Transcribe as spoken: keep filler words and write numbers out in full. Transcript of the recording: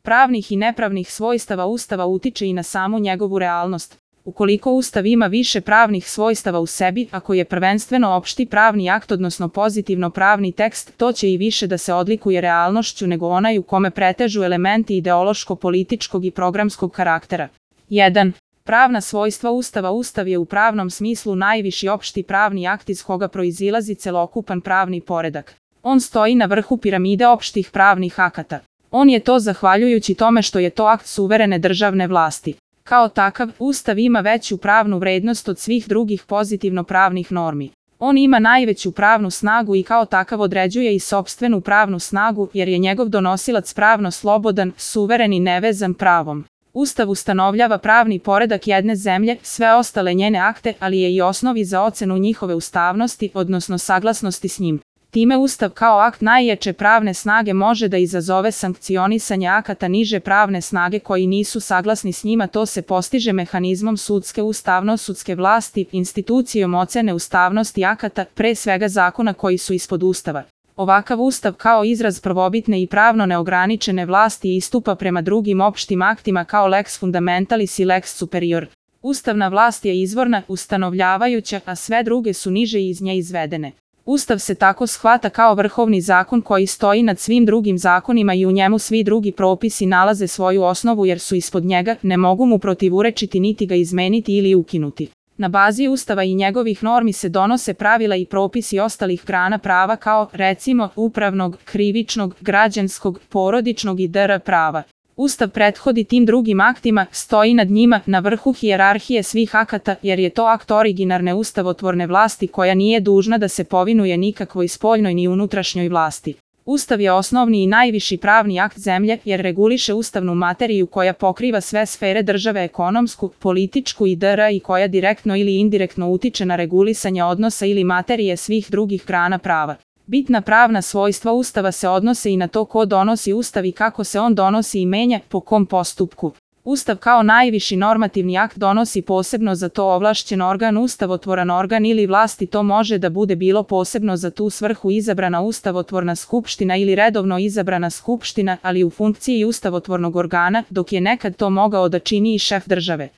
pravnih i nepravnih svojstava Ustava utiče i na samu njegovu realnost. Ukoliko Ustav ima više pravnih svojstava u sebi, ako je prvenstveno opšti pravni akt odnosno pozitivno pravni tekst, to će i više da se odlikuje realnošću nego onaj u kome pretežu elementi ideološko-političkog i programskog karaktera. jedan. Pravna svojstva Ustava. Ustav je u pravnom smislu najviši opšti pravni akt iz koga proizilazi celokupan pravni poredak. On stoji na vrhu piramide opštih pravnih akata. On je to zahvaljujući tome što je to akt suverene državne vlasti. Kao takav, Ustav ima veću pravnu vrednost od svih drugih pozitivno pravnih normi. On ima najveću pravnu snagu i kao takav određuje i sopstvenu pravnu snagu jer je njegov donosilac pravno slobodan, suveren i nevezan pravom. Ustav ustanovljava pravni poredak jedne zemlje, sve ostale njene akte, ali je i osnovi za ocenu njihove ustavnosti, odnosno saglasnosti s njim. Time Ustav kao akt najjače pravne snage može da izazove sankcionisanje akata niže pravne snage koji nisu saglasni s njima. To se postiže mehanizmom sudske ustavno-sudske vlasti, institucijom ocene ustavnosti akata, pre svega zakona koji su ispod Ustava. Ovakav Ustav kao izraz prvobitne i pravno neograničene vlasti istupa prema drugim opštim aktima kao lex fundamentalis i lex superior. Ustavna vlast je izvorna, ustanovljavajuća, a sve druge su niže iz nje izvedene. Ustav se tako shvata kao vrhovni zakon koji stoji nad svim drugim zakonima i u njemu svi drugi propisi nalaze svoju osnovu jer su ispod njega, ne mogu mu protivurečiti niti ga izmeniti ili ukinuti. Na bazi Ustava i njegovih normi se donose pravila i propisi ostalih grana prava kao, recimo, upravnog, krivičnog, građanskog, porodičnog i dr. prava. Ustav prethodi tim drugim aktima, stoji nad njima, na vrhu hijerarhije svih akata, jer je to akt originarne ustavotvorne vlasti koja nije dužna da se povinuje nikakvoj spoljnoj ni unutrašnjoj vlasti. Ustav je osnovni i najviši pravni akt zemlje, jer reguliše ustavnu materiju koja pokriva sve sfere države, ekonomsku, političku i dr. i koja direktno ili indirektno utiče na regulisanje odnosa ili materije svih drugih grana prava. Bitna pravna svojstva Ustava se odnose i na to ko donosi Ustav i kako se on donosi i menja, po kom postupku. Ustav kao najviši normativni akt donosi posebno za to ovlašćen organ, ustavotvoran organ ili vlast i to može da bude bilo posebno za tu svrhu izabrana ustavotvorna skupština ili redovno izabrana skupština, ali u funkciji ustavotvornog organa, dok je nekad to mogao da čini i šef države.